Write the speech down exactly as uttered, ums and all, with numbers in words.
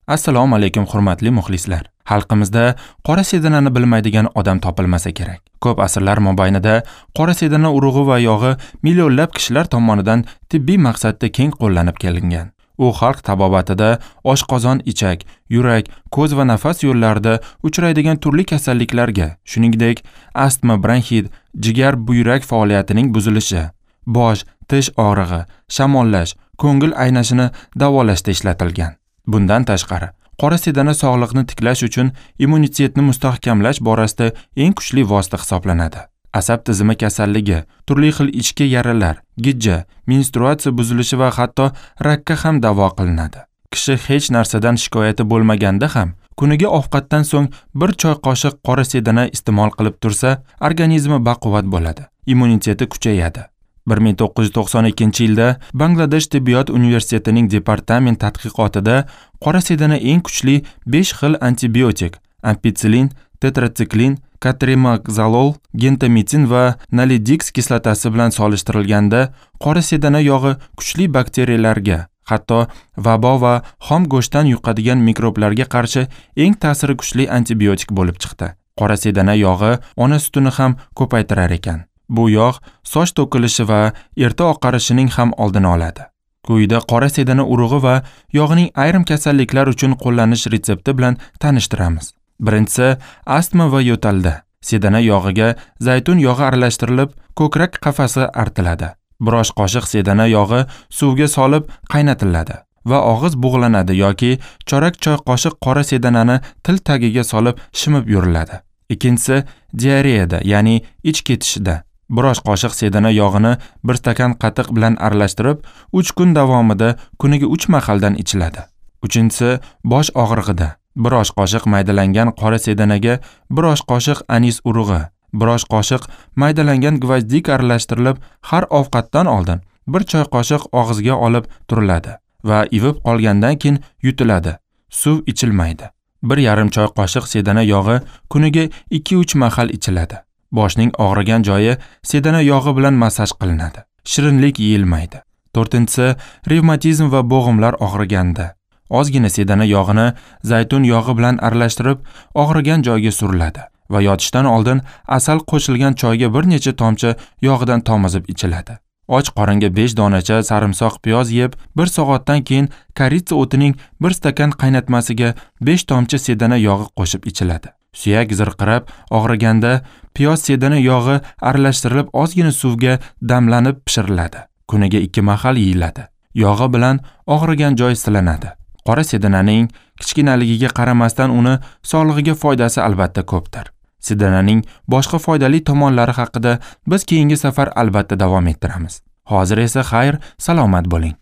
Assalomu alaykum hurmatli muxlislar. Xalqimizda qora sedanani bilmaydigan odam topilmasa kerak. Ko'p asrlar mobaynida qora sedana urug'i va yog'i millionlab kishilar tomonidan tibbiy maqsadda keng qo'llanib kelingan. U xalq tabobatida oshqozon, ichak, yurak, ko'z va nafas yo'llarida uchraydigan turli kasalliklarga, shuningdek, astma, bronxit, jigar, buyrak faoliyatining buzilishi, bosh, tish og'rig'i, shamollash, ko'ngil aynashini davolashda ishlatilgan. Bundan tashqari, qora sedana sog'liqni tiklash uchun immunitetni mustahkamlash borasida eng kuchli vosita hisoblanadi. Asab tizimi kasalligi, turli xil ichki yaralar, gijja, menstruatsiya buzilishi va hatto rakka ham davo qilinadi. Kishi hech narsadan shikoyati bo'lmaganda ham kuniga ovqatdan so'ng bir choy qoshiq qora sedana iste'mol qilib tursa, organizmi baquvvat bo'ladi, immuniteti kuchayadi. bir ming to'qqiz yuz to'qson ikkinchi yilda Bangladesh tibbiyot universitetining departament tadqiqotida qora sedana eng kuchli besh xil antibiotik ampitsilin, tetratsiklin, katrimazolol, gentamitin va nalidiks kislotasi bilan solishtirilganda qora sedana yog'i kuchli bakteriyalarga, hatto vabo va xom go'shtdan yuqadigan mikroblarga qarshi eng ta'siri kuchli antibiotik bo'lib chiqdi. Qora sedana yog'i ona sutini ham ko'paytirar ekan. Bu yog' soch to'kilishi va erta oqarishining ham oldini oladi. Quyida qora sedana urug'i va yog'ining ayrim kasalliklar uchun qo'llanish retsepti bilan tanishtiramiz. Birinchisi, astma va yo'talda. Sedana yog'iga zaytun yog'i aralashtirilib, ko'krak qafasi artiladi. Bir osh qoshiq sedana yog'i suvga solib qaynatiladi va og'iz bug'lanadi yoki chorak choy qoshiq qora sedanani til tagiga solib shimib yuriladi. Ikkinchisi, diareyada, ya'ni ich ketishida. Bir osh qoshiq sedana yog'ini bir stakan qatiq bilan aralashtirib, uch kun davomida kuniga uch mahaldan ichiladi. Uchinchisi, bosh og'rig'ida. Bir osh qoshiq maydalangan qora sedanaga bir osh qoshiq anis urug'i, bir osh qoshiq maydalangan gvozdik aralashtirilib, har ovqatdan oldin bir choy qoshiq og'izga olib turiladi va ivib qolgandan keyin yutiladi. Suv ichilmaydi. Bir yarim choy qoshiq sedana yog'i kuniga ikki uch mahal ichiladi. Boshning og'rigan joyi sedana yog'i bilan massaj qilinadi. Shirinlik yeyilmaydi. To'rtinchisi, revmatizm va bo'g'imlar og'riganda. Ozgina sedana yog'ini zaytun yog'i bilan aralashtirib, og'rigan joyga suriladi va yotishdan oldin asal qo'shilgan choyga bir necha tomchi yog'idan tomizib ichiladi. Och qoringa besh donacha sarimsoq piyoz yeb, bir soatdan keyin koritsa o'tining bir stakan qaynatmasiga besh tomchi sedana yog'i qo'shib ichiladi. Suyak zirqirab og'riganda piyoz sedana yog'i aralashtirilib ozgina suvga damlanib pishiriladi. Kuniga ikki mahal yeyiladi. Yog'i bilan og'rigan joy silanadi. Qora sedananing kichkinaligiga qaramasdan uni sog'lig'iga foydasi albatta ko'pdir. Sedananing boshqa foydali tomonlari haqida biz keyingi safar albatta davom ettiramiz. Hozir esa xayr, salomat bo'ling.